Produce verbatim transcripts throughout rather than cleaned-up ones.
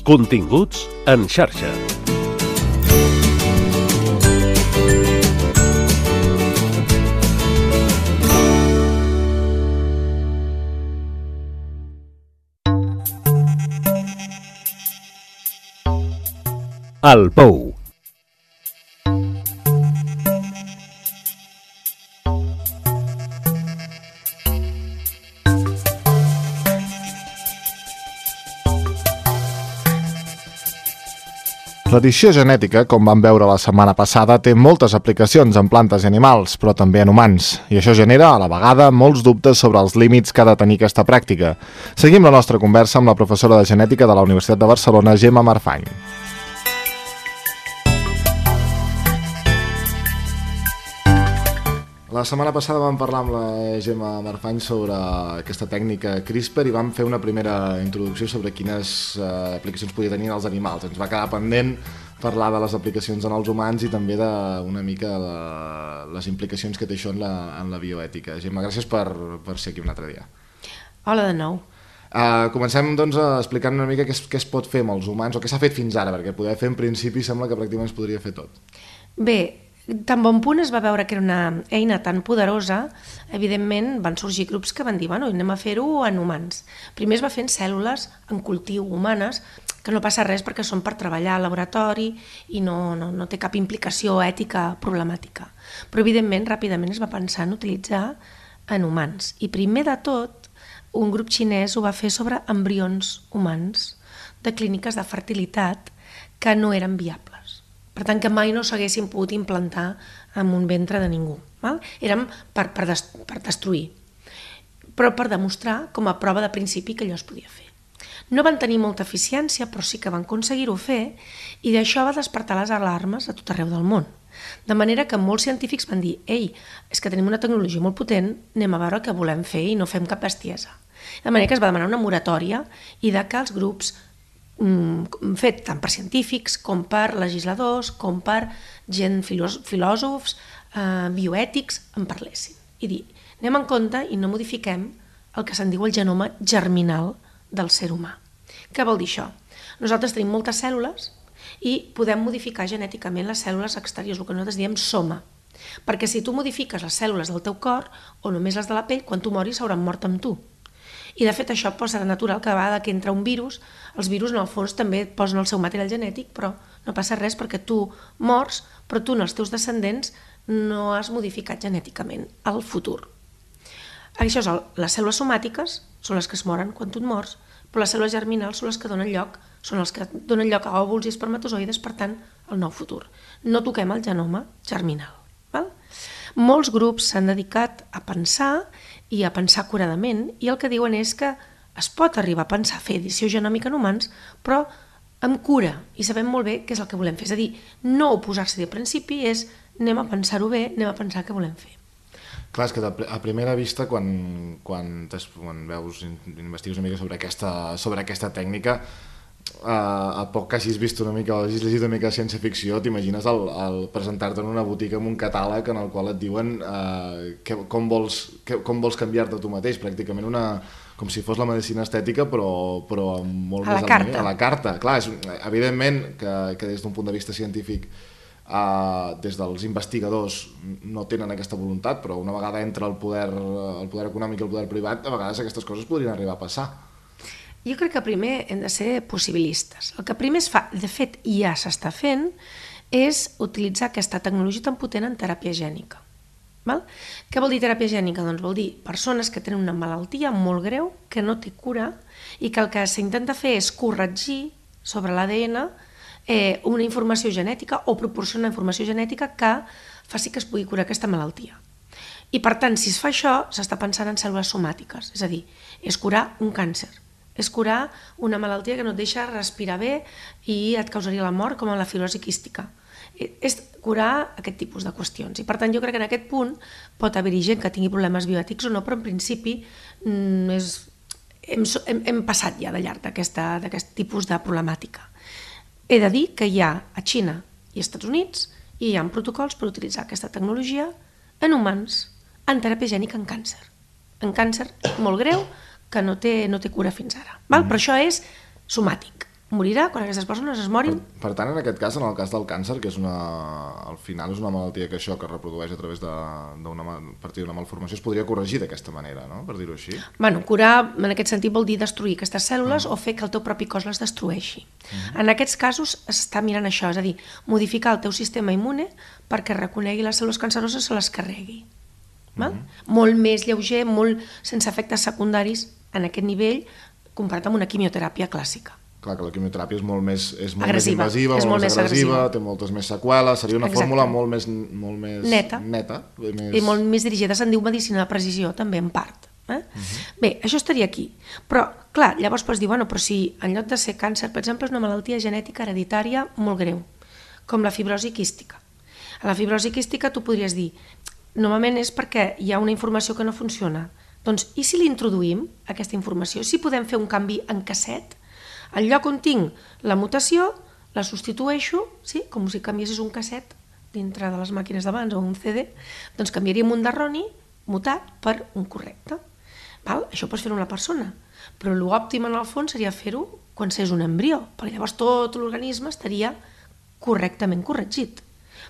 Continguts en xarxa. El Pou. L'edició genètica, com vam veure la setmana passada, té moltes aplicacions en plantes i animals, però també en humans, i això genera, a la vegada, molts dubtes sobre els límits que ha de tenir aquesta pràctica. Seguim la nostra conversa amb la professora de genètica de la Universitat de Barcelona, Gemma Marfany. La setmana passada vam parlar amb la Gemma Marfany sobre aquesta tècnica CRISPR i vam fer una primera introducció sobre quines eh, aplicacions podia tenir als animals. Ens va quedar pendent parlar de les aplicacions en els humans i també d'una mica la, les implicacions que té això en la, en la bioètica. Gemma, gràcies per, per ser aquí un altre dia. Hola de nou. Uh, comencem doncs explicant una mica què es, què es pot fer amb els humans o què s'ha fet fins ara, perquè poder fer en principi sembla que pràcticament es podria fer tot. Bé, tan bon punt es va veure que era una eina tan poderosa, evidentment van sorgir grups que van dir, bueno, anem a fer-ho en humans. Primer es va fer en cèl·lules, en cultiu humanes, que no passa res perquè són per treballar al laboratori i no, no, no té cap implicació ètica problemàtica. Però evidentment ràpidament es va pensar en utilitzar en humans. I primer de tot, un grup xinès ho va fer sobre embrions humans de clíniques de fertilitat que no eren viables. Per tant, que mai no s'haguessin pogut implantar en un ventre de ningú. Val? Eren per, per, des, per destruir, però per demostrar com a prova de principi que allò es podia fer. No van tenir molta eficiència, però sí que van aconseguir-ho fer, i d'això va despertar les alarmes a tot arreu del món. De manera que molts científics van dir, ei, és que tenim una tecnologia molt potent, anem a veure què volem fer i no fem cap bestiesa. De manera que es va demanar una moratòria i de que els grups fet tant per científics com per legisladors, com per gent filòsofs, eh, bioètics, en parlessin. I dir, anem en compte i no modifiquem el que se'n diu el genoma germinal del ser humà. Què vol dir això? Nosaltres tenim moltes cèl·lules i podem modificar genèticament les cèl·lules exteriors, el que nosaltres diem soma. Perquè si tu modifiques les cèl·lules del teu cor o només les de la pell, quan tu moris s'hauran mort amb tu. I de fet això posa de natural que a vegada que entra un virus, els virus en el fons també posen el seu material genètic, però no passa res perquè tu mors, però tu en els teus descendents no has modificat genèticament el futur. Això és el, les cèl·lules somàtiques són les que es moren quan tu et mors, però les cèl·lules germinals són les que donen lloc, són els que donen lloc a òvuls i espermatozoides, per tant, el nou futur. No toquem el genoma germinal. Val? Molts grups s'han dedicat a pensar i a pensar curadament, i el que diuen és que es pot arribar a pensar fer edició genòmica en humans, però amb cura, i sabem molt bé què és el que volem fer. És a dir, no oposar-se de principi, és anem a pensar-ho bé, anem a pensar què volem fer. Clar, és que a primera vista, quan, quan, quan veus, investigues una mica sobre aquesta, sobre aquesta tècnica, Uh, a poc que hagis vist una mica, hagis llegit una mica de ciència-ficció, t'imagines el, el presentar-te en una botiga amb un catàleg en el qual et diuen uh, que, com, vols, que, com vols canviar-te tu mateix, pràcticament una, com si fos la medicina estètica, però, però molt a més la carta. a la carta. Clar, és, evidentment que, que des d'un punt de vista científic, uh, des dels investigadors no tenen aquesta voluntat, però una vegada entra el poder, el poder econòmic i el poder privat, a vegades aquestes coses podrien arribar a passar. Jo crec que primer hem de ser possibilistes. El que primer es fa, de fet ja s'està fent, és utilitzar aquesta tecnologia tan potent en teràpia gènica. Val? Què vol dir teràpia gènica? Doncs vol dir persones que tenen una malaltia molt greu, que no té cura, i que el que s'intenta fer és corregir sobre l'A D N eh, una informació genètica o proporcionar una informació genètica que faci que es pugui curar aquesta malaltia. I per tant, si es fa això, s'està pensant en cèl·lules somàtiques, és a dir, és curar un càncer. És curar una malaltia que no et deixa respirar bé i et causaria la mort, com la fibrosi quística. És curar aquest tipus de qüestions. I per tant jo crec que en aquest punt pot haver-hi gent que tingui problemes bioètics o no, però en principi és, hem, hem, hem passat ja de llarg d'aquest tipus de problemàtica. He de dir que hi ha a Xina i als Estats Units i hi ha protocols per utilitzar aquesta tecnologia en humans, en teràpia gènica en càncer. En càncer molt greu, que no té, no té cura fins ara. Val? Mm. Però això és somàtic, morirà quan aquestes persones es morin. Per, per tant, en aquest cas, en el cas del càncer, que és una, al final és una malaltia que això que es reprodueix a través d'una a partir d'una malformació, es podria corregir d'aquesta manera, no? Per dir-ho així. Bueno, curar en aquest sentit vol dir destruir aquestes cèl·lules mm. o fer que el teu propi cos les destrueixi. Mm. En aquests casos s'està mirant això, és a dir, modificar el teu sistema immune perquè reconegui les cèl·lules canceroses i se les carregui. Val? Mm. Molt més lleuger, molt sense efectes secundaris en aquest nivell comparat amb una quimioteràpia clàssica. Clar, que la quimioteràpia és molt més, és molt agressiva, més invasiva, és molt, molt més agressiva, agressiva, té moltes més seqüeles, seria una Exacte. fórmula molt més, molt més neta, neta més... i molt més dirigida, se'n diu medicina de precisió, també en part. Eh? Uh-huh. Bé, això estaria aquí. Però, clar, llavors pots dir, bueno, però si en lloc de ser càncer, per exemple, és una malaltia genètica hereditària molt greu, com la fibrosi quística. A la fibrosi quística tu podries dir, normalment és perquè hi ha una informació que no funciona. Doncs, i si l'introduïm, aquesta informació, si podem fer un canvi en casset, al lloc on tinc la mutació, la substitueixo, sí? Com si canviessis un casset dintre de les màquines d'abans o un C D, doncs canviaríem un d'erroni mutat per un correcte. Val? Això pots fer-ho una persona, però l'òptim en el fons seria fer-ho quan s'és un embrió, perquè llavors tot l'organisme estaria correctament corregit.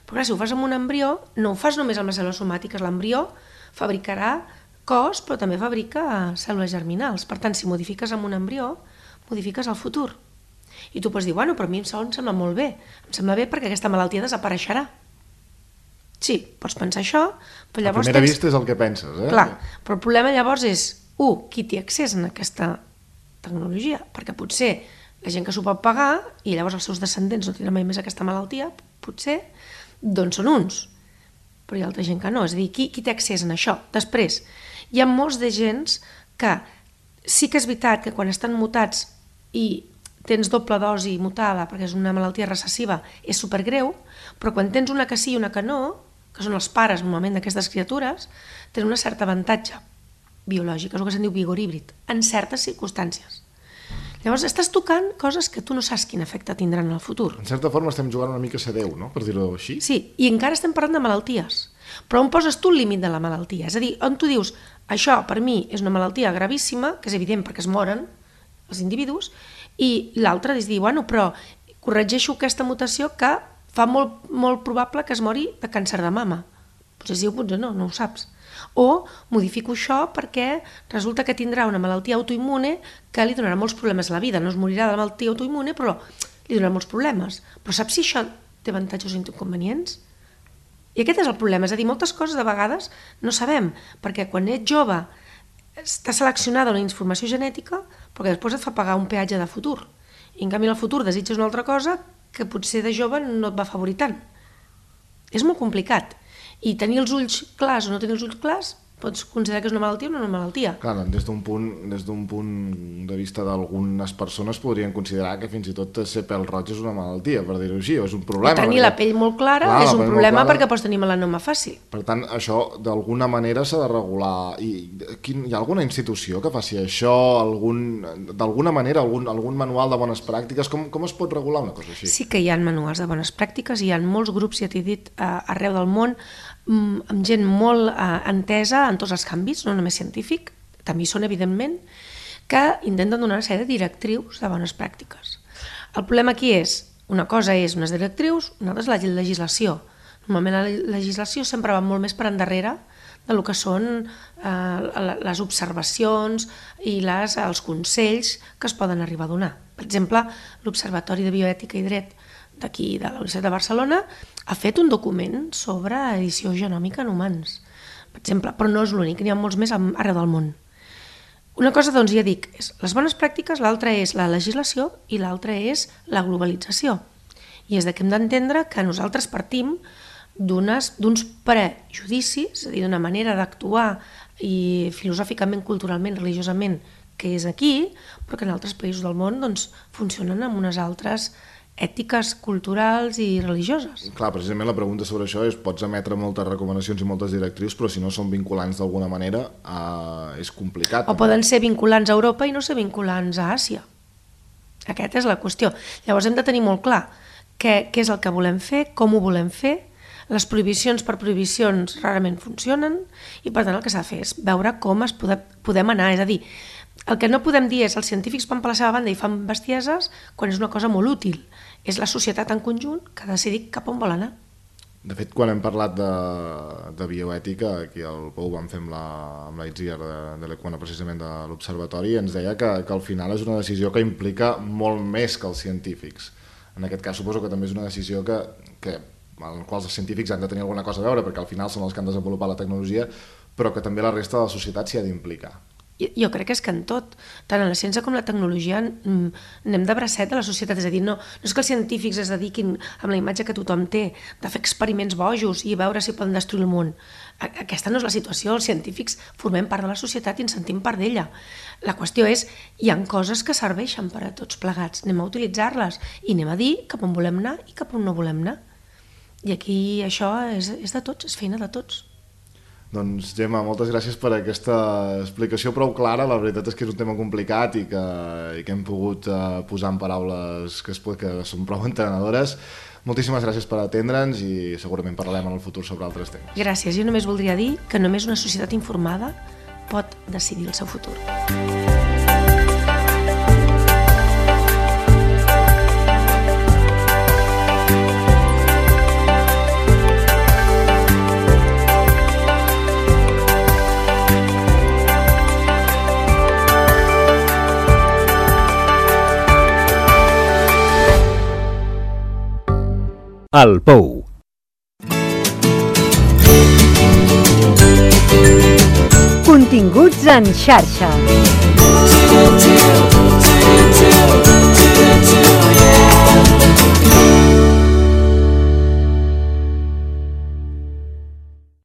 Però clar, si ho fas amb un embrió, no ho fas només amb les cèl·lules somàtiques, l'embrió fabricarà cos, però també fabrica cèl·lules germinals. Per tant, si modifiques amb un embrió, modifiques el futur. I tu pots dir, bueno, però a mi em sembla molt bé. Em sembla bé perquè aquesta malaltia desapareixerà. Sí, pots pensar això, però llavors... A primera tens... vista és el que penses, eh? Clar, però el problema llavors és, u, qui té accés a aquesta tecnologia? Perquè potser la gent que s'ho pot pagar, i llavors els seus descendents no tindran mai més aquesta malaltia, potser, doncs són uns. Però hi ha altra gent que no, és a dir, qui, qui té accés a això? Després, hi ha molts de gens que sí que és veritat que quan estan mutats i tens doble dosi mutada perquè és una malaltia recessiva és supergreu, però quan tens una que sí i una que no, que són els pares normalment d'aquestes criatures, tenen un cert avantatge biològic, és el que se'n diu vigor híbrid, en certes circumstàncies. Llavors estàs tocant coses que tu no saps quin efecte tindran en el futur. En certa forma estem jugant una mica a ser Déu, no? Per dir-ho així. Sí, i encara estem parlant de malalties. Però on poses tu el límit de la malaltia? És a dir, on tu dius, això per mi és una malaltia gravíssima, que és evident perquè es moren els individus, i l'altre és dir, bueno, però corregeixo aquesta mutació que fa molt, molt probable que es mori de càncer de mama. Potser sí o potser no, no ho saps. O modifico això perquè resulta que tindrà una malaltia autoimmune que li donarà molts problemes a la vida. No es morirà de la malaltia autoimmune, però li donarà molts problemes. Però saps si això té avantatges o inconvenients? I aquest és el problema, és a dir, moltes coses de vegades no sabem, perquè quan ets jove està seleccionada una informació genètica perquè després et fa pagar un peatge de futur. I en canvi en el futur desitges una altra cosa que potser de jove no et va afavorir tant. És molt complicat. I tenir els ulls clars o no tenir els ulls clars pots considerar que és una malaltia o no una malaltia. Clar, des d'un punt, des d'un punt de vista d'algunes persones podrien considerar que fins i tot ser pèl roig és una malaltia, per dir-ho així, o és un problema. O tenir perquè... la pell molt clara Clar, és un problema perquè pots tenir melanoma fàcil. Per tant, això d'alguna manera s'ha de regular. I quin, hi ha alguna institució que faci això? Algun, d'alguna manera, algun, algun manual de bones pràctiques? Com, com es pot regular una cosa així? Sí que hi ha manuals de bones pràctiques, hi ha molts grups, ja t'he dit, arreu del món, amb gent molt eh, entesa en tots els canvis, no només científic, també hi són evidentment, que intenten donar una sèrie de directrius de bones pràctiques. El problema aquí és, una cosa és unes directrius, una altra és la legislació. Normalment la legislació sempre va molt més per endarrere del que són eh, les observacions i les, els consells que es poden arribar a donar. Per exemple, l'Observatori de Bioètica i Dret d'aquí, de la Universitat de Barcelona, ha fet un document sobre edició genòmica en humans, per exemple, però no és l'únic, n'hi ha molts més arreu del món. Una cosa, doncs, ja dic, és les bones pràctiques, l'altra és la legislació i l'altra és la globalització. I és que hem d'entendre que nosaltres partim d'uns prejudicis, és a dir, d'una manera d'actuar i filosòficament, culturalment, religiosament, que és aquí, però que en altres països del món doncs, funcionen amb unes altres ètiques culturals i religioses. Clar, precisament la pregunta sobre això és pots emetre moltes recomanacions i moltes directrius, però si no són vinculants d'alguna manera eh, és complicat. O poden ser vinculants a Europa i no ser vinculants a Àsia. Aquesta és la qüestió. Llavors hem de tenir molt clar què, què és el que volem fer, com ho volem fer. Les prohibicions per prohibicions rarament funcionen i per tant el que s'ha de fer és veure com es pode, podem anar, és a dir, El que no podem dir és els científics van per la seva banda i fan bestieses quan és una cosa molt útil. És la societat en conjunt que ha decidit cap on vol anar. De fet, quan hem parlat de, de bioètica, aquí al Pou vam fer amb la, amb la Itziar de, de l'Equana, precisament de l'Observatori, ens deia que, que al final és una decisió que implica molt més que els científics. En aquest cas suposo que també és una decisió que, que, en la qual els científics han de tenir alguna cosa a veure, perquè al final són els que han desenvolupat la tecnologia, però que també la resta de la societat s'hi ha d'implicar. Jo crec que és que en tot, tant en la ciència com la tecnologia, anem de bracet a la societat. És a dir, no, no és que els científics es dediquin, amb la imatge que tothom té, de fer experiments bojos i veure si poden destruir el món. Aquesta no és la situació. Els científics formem part de la societat i ens sentim part d'ella. La qüestió és, hi ha coses que serveixen per a tots plegats. Anem a utilitzar-les i anem a dir cap on volem anar i cap on no volem anar. I aquí això és, és de tots, és feina de tots. Doncs, Gemma, moltes gràcies per aquesta explicació prou clara. La veritat és que és un tema complicat i que, i que hem pogut uh, posar en paraules que, es, que són prou entenedores. Moltíssimes gràcies per atendre'ns i segurament parlarem en el futur sobre altres temes. Gràcies. Jo només voldria dir que només una societat informada pot decidir el seu futur. El Pou. Continguts en xarxa.